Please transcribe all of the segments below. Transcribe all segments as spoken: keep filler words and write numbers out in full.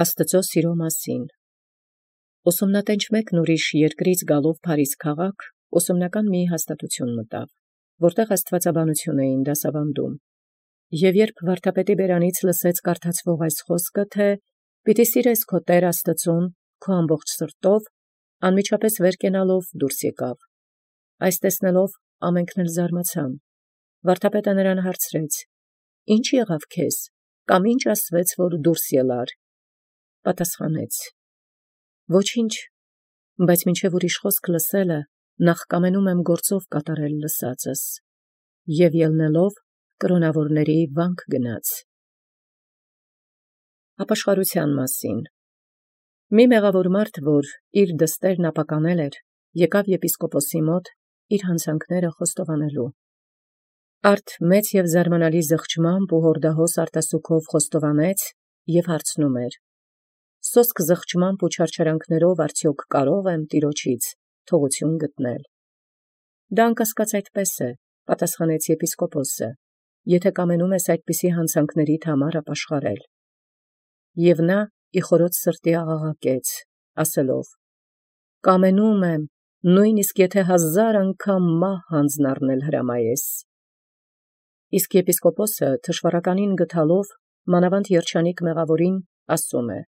Աստուծոյ սիրո մասին։ Ուսումնատենչ մեկն ուրիշ երկրից գալով Փարիզ քաղաք, ուսումնական մի հաստատութիւն մտավ, որտեղ աստուածաբանութիւն էին դասավանդում, և երբ վարդապետի բերանից լսեց կարդացվող այս խոսքը, թե «Պիտի սիրես քո Տեր Աստուծուն քո ամբողջ սրտով», անմիջապես վեր կենալով դուրս եկավ։ Այս տեսնելով ամենքն էլ զարմացան։ Վարդապետը նրան հարցրեց. «Ի՞նչ եղավ քեզ, կամ ի՞նչ ասվեց, որ դուրս ելար»։ Պատասխանեց. «Ոչինչ, բայց մինչև ուրիշ խոսք լսելը, նախ կամենում եմ գործով կատարել լսածս»։ Եւ ելնելով կրոնաւորացն վանք գնաց։ Ապաշխարութեան մասին։ Մի մեղաւոր մարդ, որ իր դստերն ապականել էր, եկավ եպիսկոպոսի մոտ իր հանցանքները խոստովանելու։ Արդ մեծ և զարմանալի զղջմամբ ու հորդահոս արտասուքով խոստովանեց և հարցնում էր. «Սոսկ զղջմամբ ու չարչարանքներով արդյոք կարո՞ղ եմ Տեառնից թողութիւն գտնել»։ «Դա անկասկած այդպես է,» պատասխանեց եպիսկոպոսը, «եթէ կամենում ես այդպիսի հանցանքներիդ համար ապաշխարել»։ Եւ նա ի խորոց սրտի աղաղակեց, ասելով. «Կամենում եմ, նոյն իսկ եթէ հազար անգամ մահ հանձն առնել հրամայես»։ Իսկ եպիսկոպոսը թշուառականին գտալով, մանավանդ երջանիկ մեղաւորին ասում է.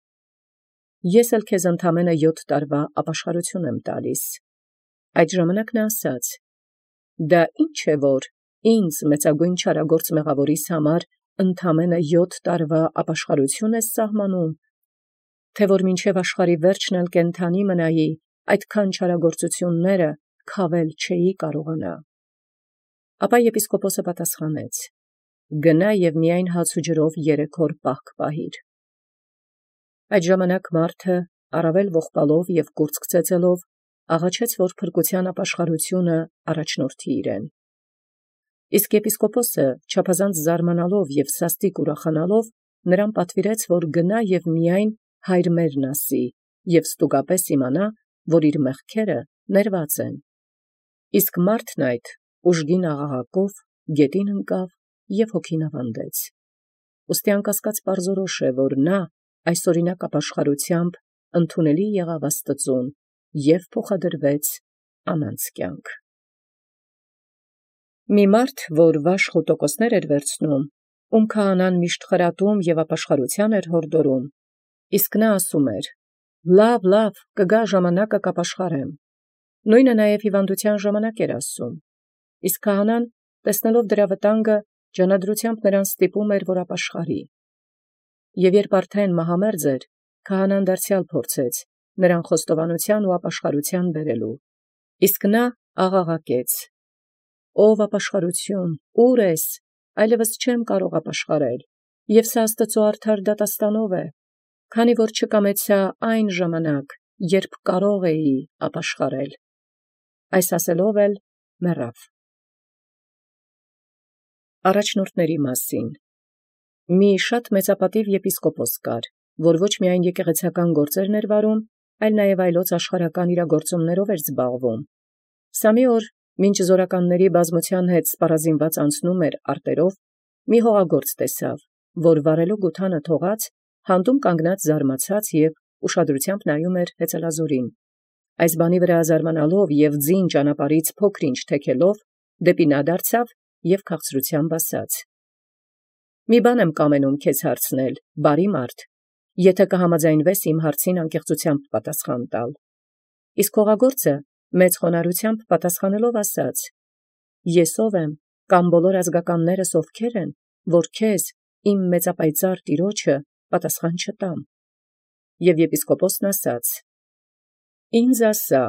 «Ես էլ քեզ ընդամենը յոթ տարվա ապաշխարութիւն եմ տալիս»։ Այդ ժամանակ նա ասաց. «Դա ի՞նչ է, որ ինձ մեծագոյն չարագործ մեղաւորիս համար ընդամենը յոթ տարվա ապաշխարութիւն ես սահմանում, թէ որ մինչև աշխարհի վերջն էլ կենթանի մնայի, այդքան չարագործութիւնս քավել չէի կարողանա»։ Ապա եպիսկոպոսը պատասխանեց. «Գնա և միայն հաց ու ջրով երեք օր պահք պահիր»։ Այդ ժամանակ մարդը առավել ողբալով և կուրծք ծեծելով աղաչեց, որ փրկութեան ապաշխարութիւնը առաջնորդի իրեն։ Իսկ եպիսկոպոսը չափազանց զարմանալով և սաստիկ ուրախանալով նրան պատվիրեց, որ գնա և միայն «Հայր մերն» ասի և ստուգապես իմանա, որ իր մեղքերը ներված են։ Իսկ մարդն այդ ուժգին աղաղակով գետին ընկավ և հոգին աւանդեց։ Ուստի անկասկած պարզորոշ է, որ նա այսօրինակ ապաշխարութեամբ ընդունելի եղավ Աստուծուն և փոխադրվեց անանց կյանք։ Մի մարդ, որ վաշխ ու տոկոսներ էր վերցնում, ում քահանան միշտ խրատում և ապաշխարութեան էր յորդորում, իսկ նա ասում էր. «Լավ, լավ, կգա ժամանակը կապաշխարեմ»։ Նոյնը նաև հիւանդութեան ժամանակ էր ասում։ Իսկ քահանան, տեսնելով դրա վտանգը, ջանադրութեամբ նրան ստիպում էր, որ ապաշխարի։ Եւ երբ արդեն մահամերձ էր, քահանան դարձեալ փորձեց նրան խոստովանութեան ու ապաշխարութեան բերել։ Իսկ նա աղաղակեց. «Ո՛վ ապաշխարութիւն, ուր ես, այլևս չեմ կարող ապաշխարել, և սա Աստուծոյ արդար դատաստանով է, քանի որ չկամեցայ այն ժամանակ, երբ կարող էի ապաշխարել»։ Այս ասելով էլ մեռավ։ Առաջնորդների մասին։ Մի շատ մեծապատիւ եպիսկոպոս կար, որ ոչ միայն եկեղեցական գործեր էր վարում, այլ նաև այլոց աշխարհական իրագործումներով էր զբաղվում։ Սա մի օր, մինչ զորականների բազմութեան հետ սպառազինված անցնում էր արտերով, մի հողագործ տեսավ, որ վարելու գութանը թողած, հանդում կանգնած զարմացած և ուշադրութեամբ նայում էր հեծելազորին։ Այս բանի վրա զարմանալով և ձին ճանապարհից փոքր-ինչ թեքելով, դեպի նա դարձավ և քաղցրութեամբ ասաց. «Մի բան եմ կամենում քեզ հարցնել, բարի մարդ, եթէ կհամաձայնվես իմ հարցին անկեղծութեամբ պատասխան տալ»։ Իսկ հողագործը մեծ խոնարհութեամբ պատասխանելով ասաց. «Ես ով եմ, կամ բոլոր ազգականներս ովքեր են, որ քեզ, իմ մեծապայծառ տիրոջը, պատասխան չտամ»։ Եւ եպիսկոպոսն ասաց. «Ինձ ասա,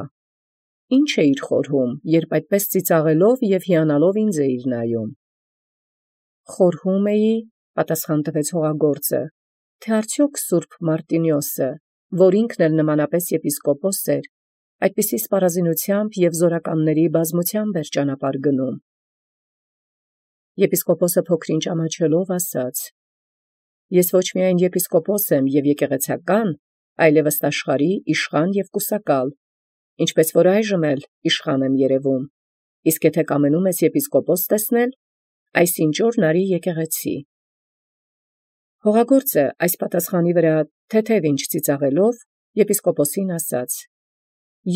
ի՞նչ էիր խորհում, երբ այդպես ծիծաղելով և հիանալով ինձ էիր նայում»։ «Խորհում էի,» պատասխան տվեց հողագործը, «թէ արդյոք սուրբ Մարտինիոսը, որ ինքն էլ նմանապես եպիսկոպոս էր, այդպիսի սպառազինութեամբ և զորականների բազմութեամբ էր ճանապարհ գնում»։ Եպիսկոպոսը փոքր-ինչ ամաչելով ասաց. «Ես ոչ միայն եպիսկոպոս եմ և եկեղեցական, այլև ըստ աշխարհի իշխան և կուսակալ, ինչպես որ այժմ էլ իշխան եմ երևում, իսկ եթէ կամենում ես եպիսկոպոս տեսնել, այսինչ օրն արի եկեղեցի»։ Հողագործը այս պատասխանի վրա թեթև ինչ ծիծաղելով, եպիսկոպոսին ասաց.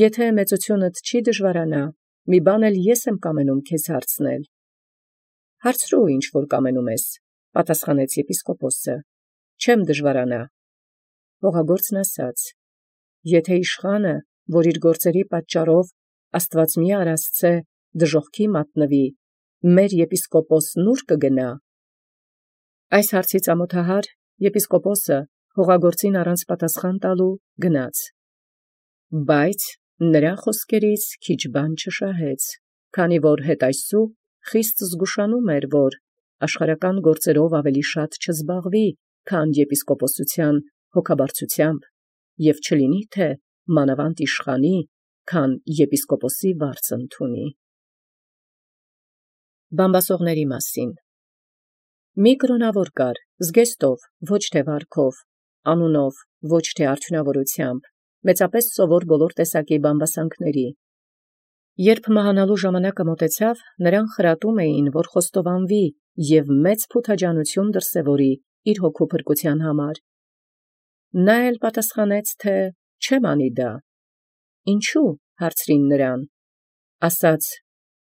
«Եթե մեծութիւնդ չի դժվարանա, մի բան էլ ես եմ կամենում քեզ հարցնել»։ «Հարցրու, ինչ որ կամենում ես», պատասխանեց եպիսկոպոսը, «չեմ դժվարանա»։ Հողագործն ասաց. «Եթե իշխանը, որ իր գործերի պատճառով աստուածմիա արասցե դժոխքի մատնվի, մեր եպիսկոպոսն ուր կգնա»։ Այս հարցից ամոթահար եպիսկոպոսը հողագործին առանց պատասխան տալու գնաց։ Բայց նրա խոսքերից քիչ բան չշահեց, քանի որ հետ այսու խիստ զգուշանում էր, որ աշխարհական գործերով ավելի շատ չզբաղվի, քան եպիսկոպոսության հոգաբարձությամբ, և չլինի թե մանավանդ իշխանի, քան եպիսկոպոսի վարձ ընդունի։ Բամբասողների մասին։ Մի կրոնավոր կար, զգեստով, ոչ թե վարքով, անունով, ոչ թե արդյունավորությամբ, մեծապես սովոր բոլոր տեսակի բամբասանքների։ Երբ մահանալու ժամանակը մոտեցավ, նրան խրատում էին, որ խոստովանվի և մեծ փութաջանություն դրսևորի իր հոգու փրկության համար։ Նա էլ պատասխանեց, թե չեմ անի դա։ Ինչու՞, հարցրին նրան։ Ասաց.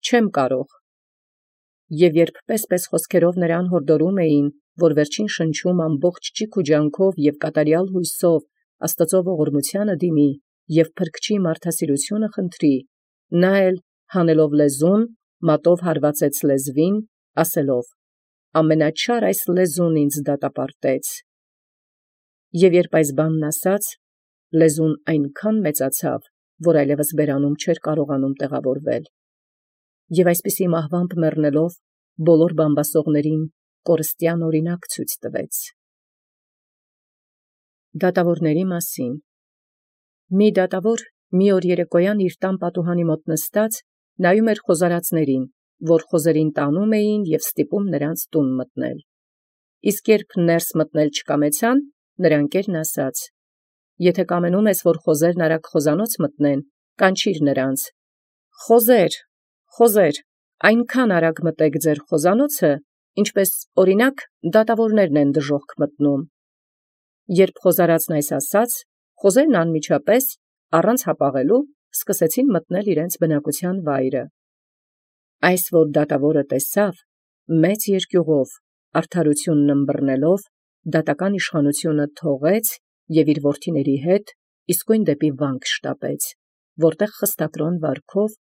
չեմ կարող։ Եվ երբ պես-պես խոսքերով նրան հորդորում էին, որ վերջին շնչում ամբողջ ճիգ ու ջանքով և կատարյալ հույսով Աստծո ողորմությանը դիմի և փրկչի մարդասիրությունը խնդրի, նա էլ հանելով լեզուն, մատով հարվածեց լեզվին, ասելով. ամենաչար այս լեզուն ինձ դատապարտեց։ Եվ երբ այս բանն ասաց, լեզուն այնքան մեծացավ, որ այլևս բերանում չէր կարողանում տեղավորվել։ Եվ այսպիսի մահվամբ մեռնելով, բոլոր բամբասողներին կորստյան օրինակ ցույց տվեց։ Դատավորների մասին։ Մի դատավոր մի օր երեկոյան իր տան պատուհանի մոտ նստած նայում էր խոզարածներին, որ խոզերին տանում էին և ստիպում նրանց տուն մտնել։ Իսկ երբ ներս մտնել չկամեցան, նրա ընկերն ասաց. «Եթե կամենում ես, որ խոզերն արագ խոզանոց մտնեն, կանչիր նրանց. խոզե՛ր, խոզե՛ր, այնքան արագ մտեք ձեր խոզանոցը, ինչպես օրինակ դատավորներն են դժոխք մտնում»։ Երբ խոզարածն այս ասաց, խոզերն անմիջապես, առանց հապաղելու, սկսեցին մտնել իրենց բնակության վայրը։ Այս որ դատավորը տեսավ, մեծ երկյուղով, արդարությունն ըմբռնելով, դատական իշխանությունը թողեց և իր որդիների հետ իսկույն դեպի վանք շտապեց, որտեղ խստակրոն վարքով,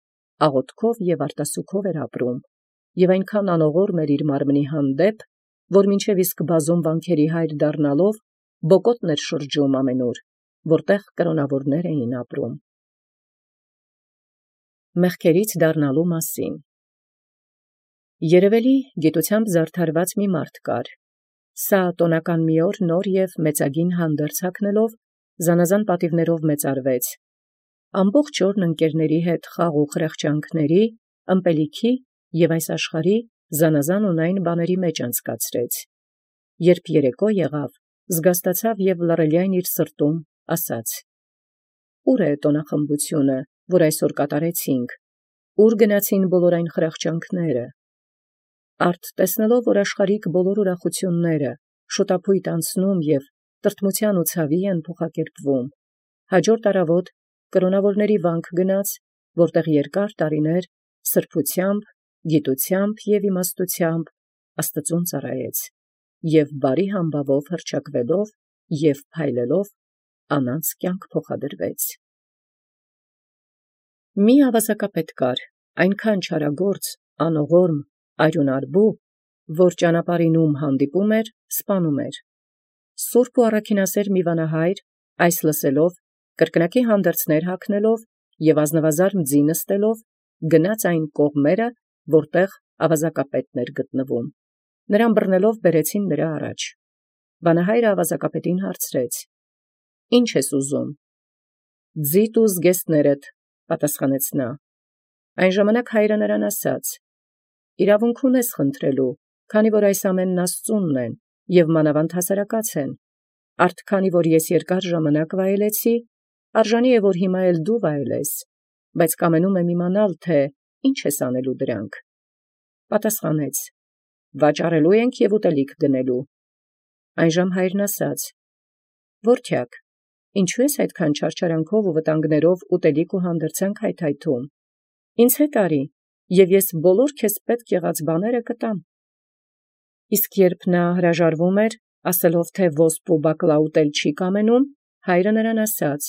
աղոթքով և արտասուքով էր ապրում, և այնքան անողորմ էր իր մարմնի հանդեպ, որ մինչև իսկ բազում վանքերի հայր դառնալով, բոկոտն էր շրջում ամենուր, որտեղ կրոնավորներ էին ապրում։ Մեղքերից դառնալու մասին։ Երևելի գիտությամբ զարդարված մի մարդ կար։ Սա տոնական մի օր նոր և մեծագին հանդերձ հագնելով, զանազան պատիվներով մեծարվեց։ Ամբողջ օրն ընկերների հետ խաղ ու խրախճանքների, ըմպելիքի և այս աշխարհի զանազան ունայն բաների մեջ անցկացրեց։ Երբ երեկո եղավ, զգաստացավ և լռելյայն իր սրտում ասաց. «Ո՞ւր է տոնախմբությունը, որ այսօր կատարեցինք, ո՞ւր գնացին բոլոր այն խրախճանքները»։ Արդ տեսնելով, որ աշխարհիկ բոլոր ուրախությունները շուտափույթ անցնում և տրտմության ու ցավի են փոխակերպվում, հաջորդ առավոտ կրոնավորների վանք գնաց, որտեղ երկար տարիներ սրբությամբ, գիտությամբ և իմաստությամբ Աստծուն ծառայեց, և բարի համբավով հռչակվելով և փայլելով անանց կյանք փոխադրվեց։ Մի ավազակապետ կար, այնքան չարագործ, անողորմ, արյունարբու, որ ճանապարհին ում հանդիպում էր, սպանում էր։ Սուրբ ու առաքինասեր մի վանահայր, այս լսելով, կրկնակի հանդերձներ հագնելով և ազնվազարմ ձի նստելով, գնաց այն կողմերը, որտեղ ավազակապետն էր գտնվում։ Նրան բռնելով բերեցին նրա առաջ։ Վանահայրը ավազակապետին հարցրեց. «Ի՞նչ ես ուզում»։ «Ձիդ ու զգեստներդ», պատասխանեց նա։ Այն ժամանակ հայրը նրան ասաց. «Իրավունք ունես խնդրելու, քանի որ այս ամենն Աստծունն են և մանավանդ հասարակած են։ Արդ քանի որ ես երկար ժամանակ վայելեցի, արժանի է, որ հիմա էլ դու վայելես, բայց կամենում եմ իմանալ, թե ի՞նչ ես անելու դրանք»։ Պատասխանեց. «Վաճառելու ենք և ուտելիք գնելու»։ Այնժամ հայրն ասաց. Որդեակ, ինչու ես այդքան չարչարանքով ու վտանգներով ուտելիք ու հանդերձանք հայթայթում։ Ինձ հետ արի, և ես բոլոր քեզ պետք եղած բաները կտամ։ Իսկ երբ նա հրաժարվում էր, ասելով թե ոսպ ու բակլա ուտել չի կամենում, հայրը նրան ասաց.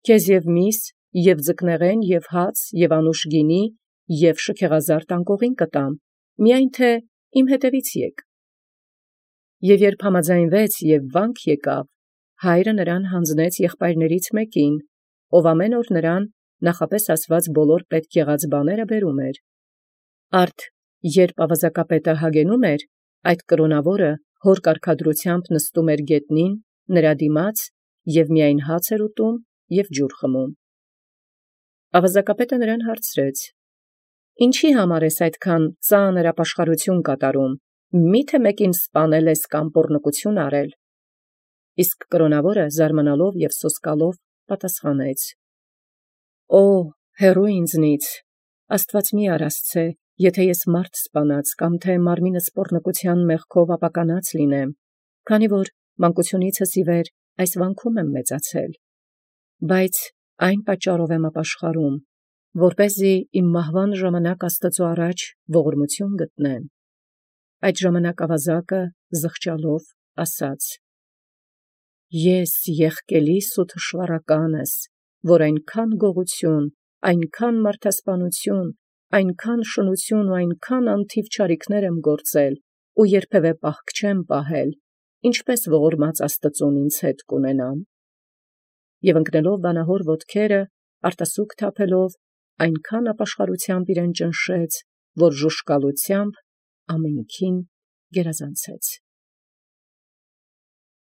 «Քեզ և միս, և ձկնեղեն, և հաց, և անուշ գինի, և շքեղազարդ անկողին կտամ, միայն թե իմ հետևից եք»։ Եւ երբ համաձայնվեց և վանք եկավ, հայրը նրան յանձնեց եղբայրներից մեկին, ով ամեն օր նրան նախապես ասված բոլոր պետք եղած բաները բերում էր։ Արդ երբ ավազակապետը հագենում էր, այդ կրոնաւորը հոր կարգադրութեամբ նստում էր գետնին նրա դիմաց և միայն հաց էր ուտում և ջուր խմում։ Ավազակապետը նրան հարցրեց. «Ինչի համար ես այդքան ծանր ապաշխարութիւն կատարում, միթե մեկին սպանել ես կամ պոռնկութիւն արել»։ Իսկ կրոնաւորը զարմանալով և սոսկալով պատասխանեց. «Օ՛, հեռու ինձնից, աստուած մի՛ արասցե, եթէ ես մարդ սպանած կամ թէ մարմինս պոռնկութեան մեղքով ապականած լինեմ, քանի որ մանկութիւնիցս ի վեր այս վանքում եմ մեծացել. բայց այն պատճառով եմ ապաշխարում, որպեսզի իմ մահվան ժամանակ Աստուծոյ առաջ ողորմութիւն գտնեմ»։ Այդ ժամանակ ավազակը զղջալով ասաց. «Ես եղկելիս ու թշուառականս, որ այնքան գողութիւն, այնքան մարդասպանութիւն, այնքան շնութիւն ու այնքան անթիւ չարիքներ եմ գործել ու երբևէ պահք չեմ պահել, ինչպէս ողորմած Աստուծոյ ինձ հետ կունենամ»։ Եւ ընկնելով վանահոր ոտքերը, արտասուք թափելով, այնքան ապաշխարութեամբ իրեն ճնշեց, որ ժուժկալութեամբ ամենքին գերազանցեց։